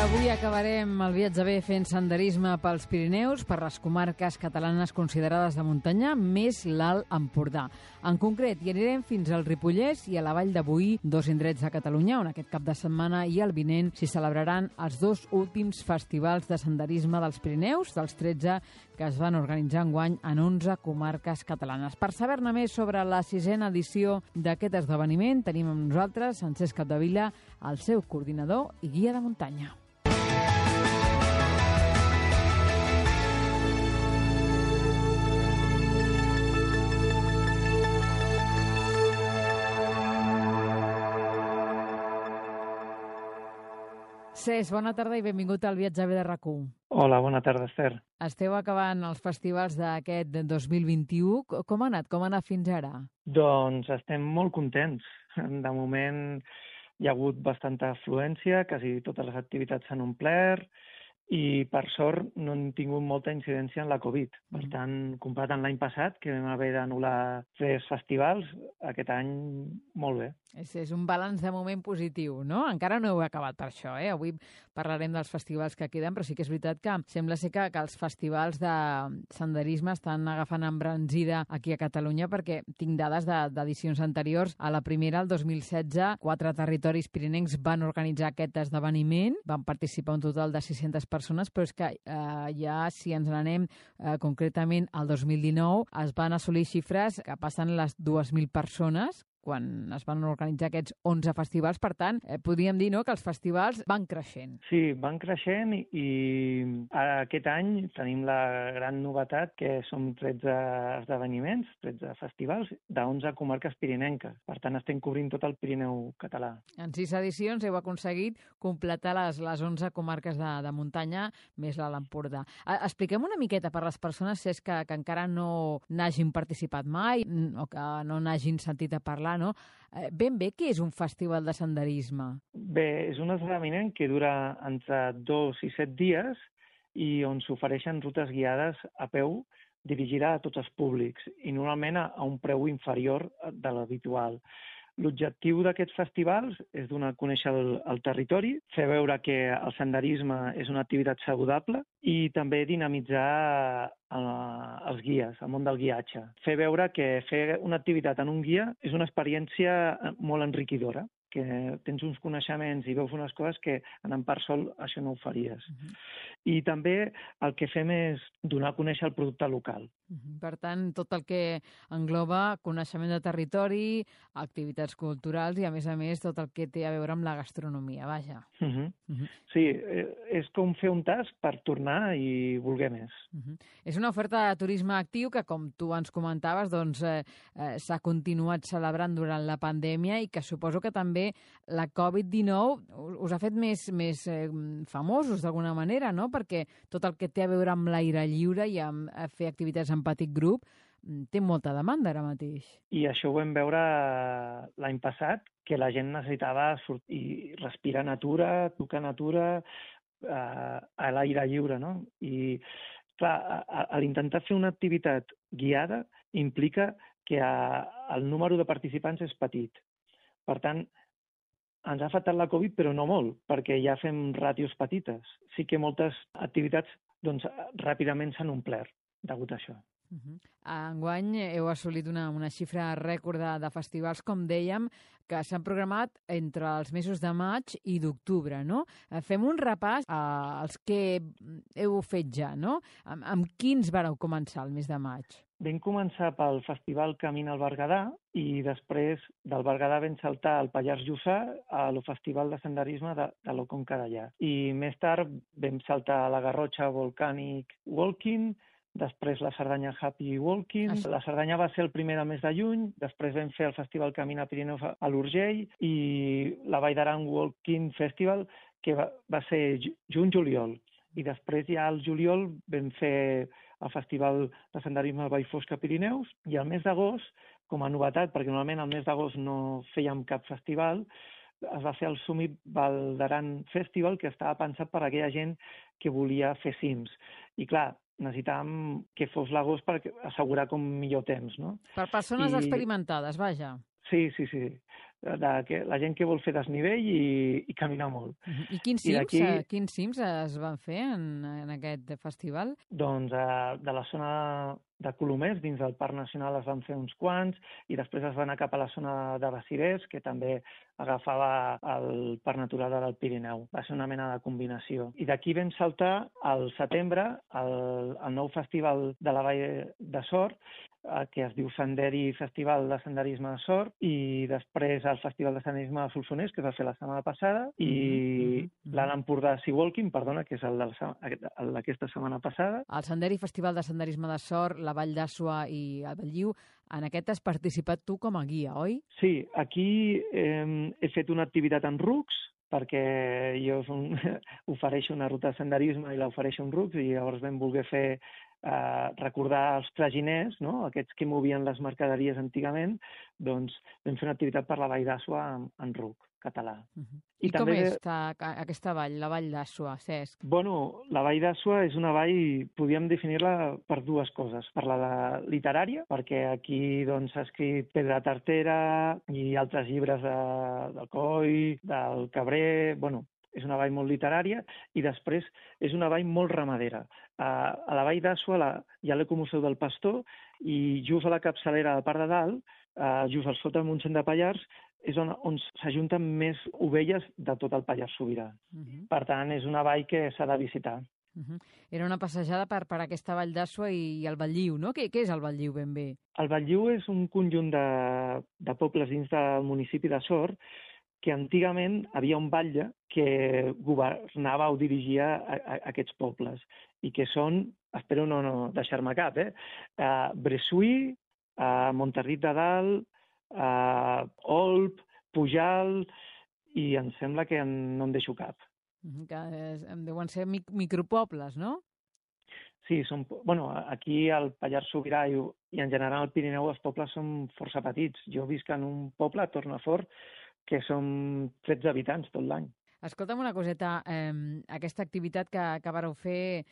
Avui acabarem el viatge bé fent senderisme pels Pirineus, per les comarques catalanes considerades de muntanya, més l'Alt Empordà. En concret, hi anirem fins al Ripollès i a la Vall de Boí, dos indrets de Catalunya, on aquest cap de setmana i el vinent s'hi celebraran els dos últims festivals de senderisme dels Pirineus, dels 13 que es van organitzar enguany en 11 comarques catalanes. Per saber-ne més sobre la 6a edició d'aquest esdeveniment, tenim amb nosaltres Francesc Capdevila, el seu coordinador i guia de muntanya. Cesc, bona tarda i benvingut al Viatge bé de RAC1. Hola, bona tarda, Esther. Esteu acabant els festivals d'aquest 2021. Com ha anat? Com ha anat fins ara? Doncs estem molt contents. De moment hi ha hagut bastanta afluència, quasi totes les activitats s'han omplert i, per sort, no hem tingut molta incidència en la Covid. Per tant, comparat amb l'any passat, que vam haver d'anul·lar 3 festivals, aquest any molt bé. És un balanç de moment positiu, no? Encara no heu acabat per això, eh? Avui parlarem dels festivals que queden, però sí que és veritat que sembla ser que els festivals de senderisme estan agafant embranzida aquí a Catalunya, perquè tinc dades d'edicions anteriors. A la primera, el 2016, 4 territoris pirinencs van organitzar aquest esdeveniment, van participar un total de 600 persones, però és que ja, si ens n'anem concretament al 2019, es van assolir xifres que passen les 2.000 persones, quan es van organitzar aquests 11 festivals. Per tant, podríem dir, no?, que els festivals van creixent. Sí, van creixent i aquest any tenim la gran novetat que som 13 esdeveniments, 13 festivals de 11 comarques pirinenques. Per tant, estem cobrint tot el Pirineu català. En 6 edicions heu aconseguit completar les 11 comarques de muntanya, més l'Alt Empordà. Expliquem una miqueta per les persones, si és que encara no n'hagin participat mai o que no n'hagin sentit a parlar, no? Ben bé, què és un festival de senderisme? Bé, és un esdeveniment que dura entre 2 i 7 dies i on s'ofereixen rutes guiades a peu dirigida a tots els públics i normalment a un preu inferior de l'habitual. L'objectiu d'aquests festivals és donar a conèixer el territori, fer veure que el senderisme és una activitat saludable i també dinamitzar els guies, el món del guiatge. Fer veure que fer una activitat en un guia és una experiència molt enriquidora, que tens uns coneixements i veus unes coses que anant per sol això no ho faries. I també el que fem és donar a conèixer el producte local. Per tant, tot el que engloba coneixement de territori, activitats culturals i, a més, tot el que té a veure amb la gastronomia, vaja. Sí, és com fer un tas per tornar i voler més. És una oferta de turisme actiu que, com tu ens comentaves, doncs s'ha continuat celebrant durant la pandèmia i que suposo que també la Covid-19 us ha fet més famosos d'alguna manera, no? Perquè tot el que té a veure amb l'aire lliure i amb fer activitats en petit grup té molta demanda ara mateix. I això ho vam veure l'any passat, que la gent necessitava sortir, respirar natura, tocar natura a l'aire lliure, no? I, clar, a l'intentar fer una activitat guiada implica que el número de participants és petit. Per tant, ens ha afectat la Covid, però no molt, perquè ja fem ràtios petites. Sí que moltes activitats doncs, ràpidament s'han omplert degut a això. Enguany heu assolit una xifra rècord de festivals, com dèiem, que s'han programat entre els mesos de maig i d'octubre, no? Fem un repàs als que heu fet ja, no? Amb quins vareu començar el mes de maig? Vam començar pel Festival Camina al Berguedà i després del Berguedà vam saltar al Pallars Jussà al Festival de Senderisme de la Conca Dellà. I més tard vam saltar a la Garrotxa Volcanic Walking, després la Cerdanya Happy Walking. La Cerdanya va ser el primer del mes de juny, després vam fer el Festival Camina Pirineus a l'Urgell i la Vall d'Aran Walking Festival, que va ser juny-juliol. I després ja al juliol vam fer el Festival de Senderisme al Vall Fosca Pirineus i al mes d'agost, com a novetat, perquè normalment al mes d'agost no fèiem cap festival, es va fer el Summit Vall d'Aran Festival, que estava pensat per a aquella gent que volia fer cims. I clar, necessitàvem que fos l'agost per assegurar com millor temps, no? Per persones experimentades, vaja. Sí. la gent que vol fer desnivell i caminar molt. I quins cims es van fer en aquest festival? Doncs de la zona de Colomers, dins del Parc Nacional es van fer uns quants, i després es va anar cap a la zona de Baciders, que també agafava el Parc Natural del Pirineu. Va ser una mena de combinació. I d'aquí vam saltar al setembre el nou festival de la Vall de Sort, que es diu Senderi Festival de Senderisme de Sort, i després el Festival de Senderisme de Solsonès, que es va fer la setmana passada, i l'Alt Empordà Sea Walking, perdona, que és el d'aquesta setmana passada. El Senderi Festival de Senderisme de Sort, la Vall d'Àsua i el Belliu, en aquest has participat tu com a guia, oi? Sí, aquí he fet una activitat en rucs, perquè jo ofereixo una ruta de senderisme i l'ofereixo en rucs, i llavors vam voler fer recordar els traginers, no? Aquests que movien les mercaderies antigament, doncs vam fer una activitat per la Vall d'Àsua en ruc català. I com és aquesta vall, la Vall d'Àsua, Cesc? Bueno, la Vall d'Àsua és una vall, podríem definir-la per dues coses. Per la literària, perquè aquí doncs, s'ha escrit Pedra Tartera i altres llibres del Coll, del Cabré, bueno, és una vall molt literària, i després és una vall molt ramadera. A la Vall d'Àsua hi ha l'Ecomuseu del Pastor, i just a la capçalera del Parc de Dalt, just al sota del Montseny de Pallars, és on s'ajunten més ovelles de tot el Pallars Sobirà. Per tant, és una vall que s'ha de visitar. Era una passejada per aquesta Vall d'Àsua i el Belliu, no? Què és el Belliu ben bé? El Belliu és un conjunt de pobles dins del municipi de Sort, que antigament havia un batlle que governava o dirigia aquests pobles, i que són, espero no deixar-me cap, Bressuí, Montarrit de Dalt, Olp, Pujalt, i em sembla que no em deixo cap. Que deuen ser micropobles, no? Sí, aquí al Pallars Sobirà i en general al Pirineu els pobles són força petits. Jo visc en un poble, a Tornafort, que són 13 habitants tot l'any. Escolta'm una coseta, aquesta activitat que vareu fer,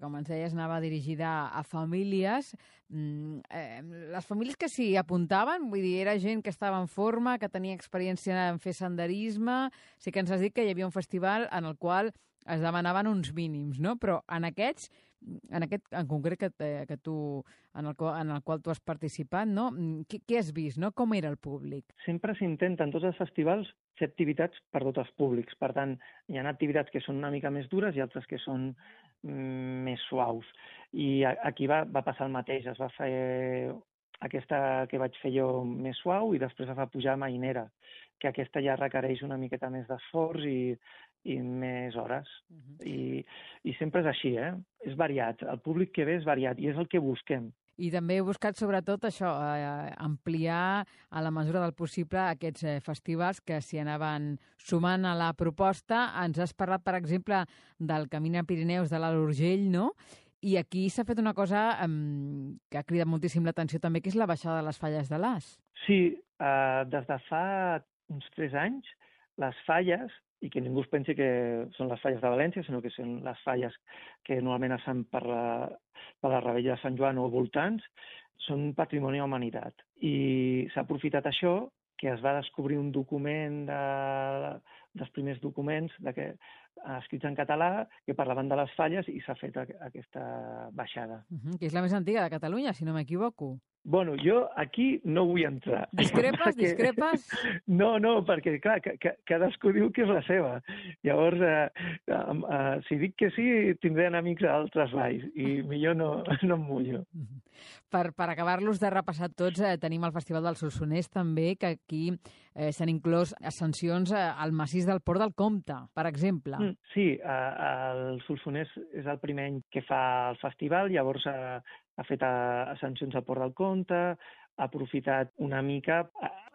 com ens deies, anava dirigida a famílies. Les famílies que s'hi apuntaven, vull dir, era gent que estava en forma, que tenia experiència en fer senderisme. Sí que ens has dit que hi havia un festival en el qual es demanaven uns mínims, no? Però en aquest en concret en el qual tu has participat, no? Què has vist, no? Com era el públic? Sempre s'intenta en tots els festivals fer activitats per tots els públics. Per tant, hi ha activitats que són una mica més dures i altres que són més suaus. I aquí va passar el mateix. Es va fer aquesta que vaig fer jo més suau, i després es va pujar a Mainera, que aquesta ja requereix una miqueta més d'esforç i més hores. I sempre és així, és variat. El públic que ve és variat, i és el que busquem. I també he buscat, sobretot, això, ampliar a la mesura del possible aquests festivals que s'hi anaven sumant a la proposta. Ens has parlat, per exemple, del Camí a Pirineus de l'Alt Urgell, no? I aquí s'ha fet una cosa que ha cridat moltíssim l'atenció també, que és la baixada de les falles de l'As. Sí, des de fa uns 3 anys, les falles, i que ningú es pensi que són les falles de València, sinó que són les falles que normalment es fan per la Rebella de Sant Joan o voltants, són patrimoni de la humanitat. I s'ha aprofitat això, que es va descobrir un document dels primers documents escrits en català que parlaven de les falles, i s'ha fet aquesta baixada. Que és la més antiga de Catalunya, si no m'equivoco. Bueno, jo aquí no vull entrar. Discrepes? No, perquè, clar, cadascú diu que és la seva. Llavors, si dic que sí, tindré enemics a altres valls, i millor no em mullo. Per acabar-los de repassar tots, tenim el Festival del Solsonès també, que aquí s'han inclòs ascensions al massís del Port del Comte, per exemple. Sí, el Solsonès és el primer any que fa el festival, llavors ha fet ascensions al Port del Comte, ha aprofitat una mica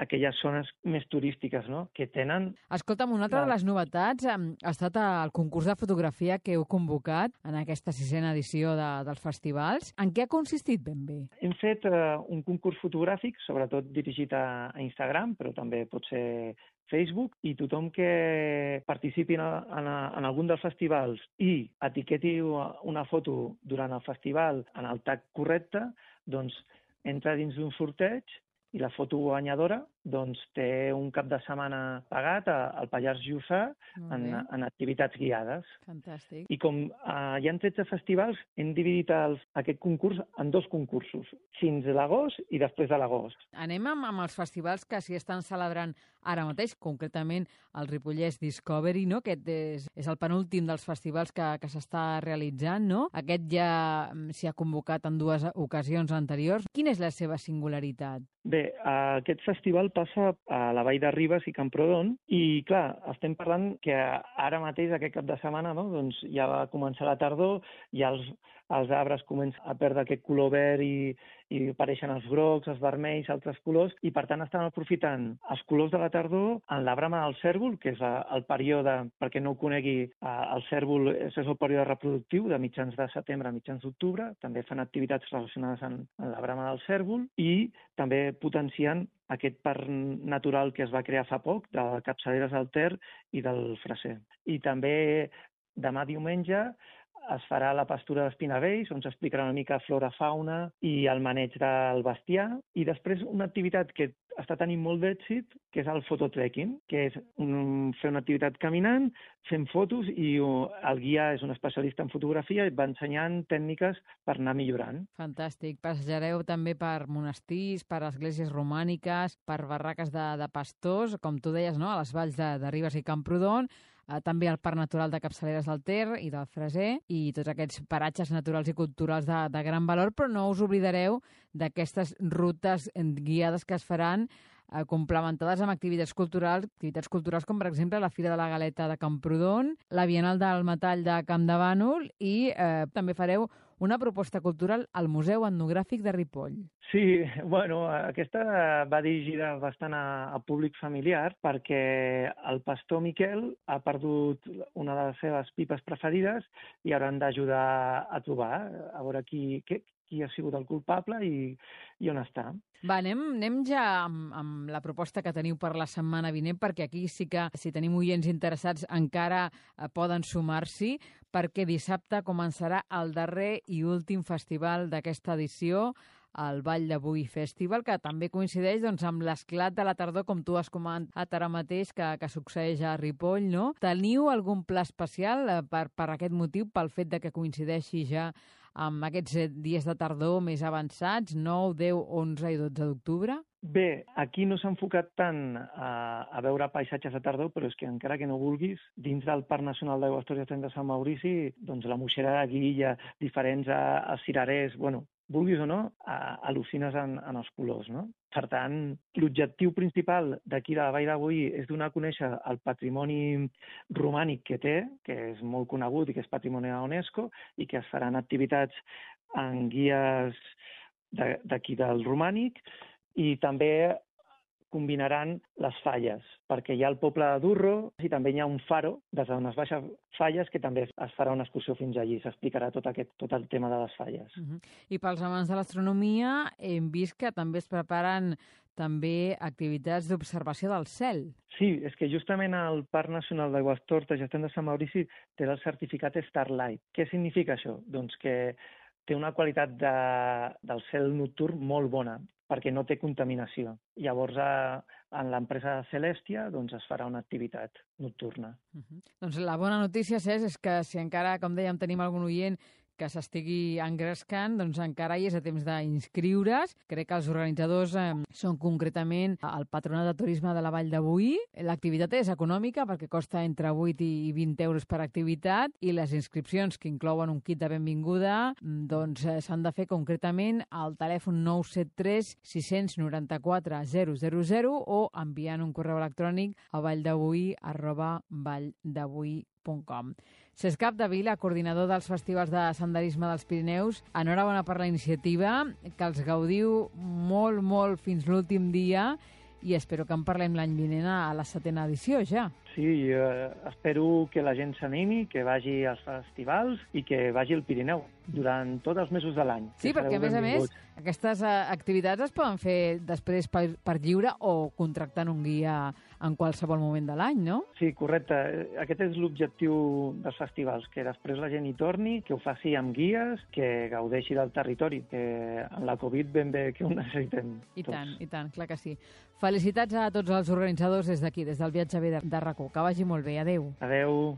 aquelles zones més turístiques, no?, que tenen... Escolta'm, una altra de les novetats ha estat el concurs de fotografia que heu convocat en aquesta 6a edició dels festivals. En què ha consistit ben bé? Hem fet un concurs fotogràfic, sobretot dirigit a Instagram, però també pot ser Facebook, i tothom que participi en algun dels festivals i etiqueti una foto durant el festival en el tag correcte, doncs entra dins d'un sorteig, i la foto guanyadora doncs té un cap de setmana pagat al Pallars Jussà en activitats guiades. Fantàstic. I com hi ha 13 festivals, hem dividit aquest concurs en 2 concursos, fins a l'agost i després de l'agost. Anem amb els festivals que s'hi estan celebrant ara mateix, concretament el Ripollès Discovery, no? Aquest és el penúltim dels festivals que s'està realitzant, no? Aquest ja s'hi ha convocat en 2 ocasions anteriors. Quina és la seva singularitat? Bé, aquest festival passa a la Vall de Ribes i Camprodon i, clar, estem parlant que ara mateix, aquest cap de setmana, no? Doncs ja va començar la tardor, ja els arbres comencen a perdre aquest color verd i apareixen els grocs, els vermells, altres colors, i per tant estan aprofitant els colors de la tardor en la brama del cèrvol, que és el període, perquè no ho conegui, el cèrvol és el període reproductiu de mitjans de setembre a mitjans d'octubre, també fan activitats relacionades amb la brama del cèrvol i també potenciant aquest parc natural que es va crear fa poc, de Capçaleres del Ter i del Freser. I també demà diumenge es farà la pastura d'espinavells, on s'explicarà una mica flora-fauna i el maneig del bestiar. I després una activitat que està tenint molt d'èxit, que és el fototrekking, que és fer una activitat caminant, fent fotos, i el guia és un especialista en fotografia i va ensenyant tècniques per anar millorant. Fantàstic. Passejareu també per monestirs, per esglésies romàniques, per barraques de pastors, com tu deies, no? A les valls de Ribes i Camprodon, també al Parc Natural de Capçaleres del Ter i del Freser, i tots aquests paratges naturals i culturals de gran valor, però no us oblidareu d'aquestes rutes guiades que es faran complementades amb activitats culturals com, per exemple, la Fira de la Galeta de Camprodon, la Bienal del Metall de Camp de Bànol i també fareu una proposta cultural al Museu Etnogràfic de Ripoll. Sí, bueno, aquesta va dirigida bastant a públic familiar perquè el pastor Miquel ha perdut una de les seves pipes preferides i hauran d'ajudar a trobar, a veure qui ha sigut el culpable i on està. Va, anem ja amb la proposta que teniu per la setmana vinent, perquè aquí sí que, si tenim oients interessats, encara poden sumar-s'hi, perquè dissabte començarà el darrer i últim festival d'aquesta edició, el Vall d'Avui Festival, que també coincideix amb l'esclat de la tardor, com tu has comentat ara mateix, que succeeix a Ripoll, no? Teniu algun pla especial per aquest motiu, pel fet de que coincideixi ja amb aquests dies de tardor més avançats, 9, 10, 11 i 12 d'octubre? Bé, aquí no s'ha enfocat tant a veure paisatges de tardor, però és que encara que no vulguis, dins del Parc Nacional d'Aigües Ter de Sant Maurici, doncs la moixera de guilla, diferents cirerers, bueno, vulguis o no, al·lucines en els colors, no? Per tant, l'objectiu principal d'aquí de la Vall d'Avui és donar a conèixer el patrimoni romànic que té, que és molt conegut i que és patrimoni de la UNESCO, i que es faran activitats en guies d'aquí del romànic, i també combinaran les falles, perquè hi ha el poble de Durro i també hi ha un faro des d'unes baixes falles que també es farà una excursió fins allí, s'explicarà tot el tema de les falles. I pels amants de l'astronomia hem vist que també es preparen també activitats d'observació del cel. Sí, és que justament el Parc Nacional d'Aigüestortes i de Sant Maurici té el certificat Starlight. Què significa això? Doncs que té una qualitat del cel nocturn molt bona, perquè no té contaminació. Llavors, en l'empresa Celestia es farà una activitat nocturna. Doncs la bona notícia, Cesc, és que si encara, com dèiem, tenim algun oient que s'estigui engrescant, doncs encara hi és a temps d'inscriure's. Crec que els organitzadors són concretament el Patronat de Turisme de la Vall d'Avui. L'activitat és econòmica perquè costa entre 8 i 20 euros per activitat i les inscripcions, que inclouen un kit de benvinguda, doncs s'han de fer concretament al telèfon 973 694 000 o enviant un correu electrònic a valldavui@valldavui.com. Cesc Capdevila, coordinador dels festivals de senderisme dels Pirineus, enhorabona per la iniciativa, que els gaudiu molt, molt fins l'últim dia i espero que en parlem l'any vinent a la 7ª edició ja. Sí, espero que la gent s'animi, que vagi als festivals i que vagi al Pirineu. durant tots els mesos de l'any. Sí, perquè a més, aquestes activitats es poden fer després per lliure o contractant un guia en qualsevol moment de l'any, no? Sí, correcte. Aquest és l'objectiu dels festivals, que després la gent hi torni, que ho faci amb guies, que gaudeixi del territori, que amb la Covid ben bé que ho necessitem tots. I tant, clar que sí. Felicitats a tots els organitzadors des d'aquí, des del Viatge B de RAC1. Que vagi molt bé. Adéu. Adéu.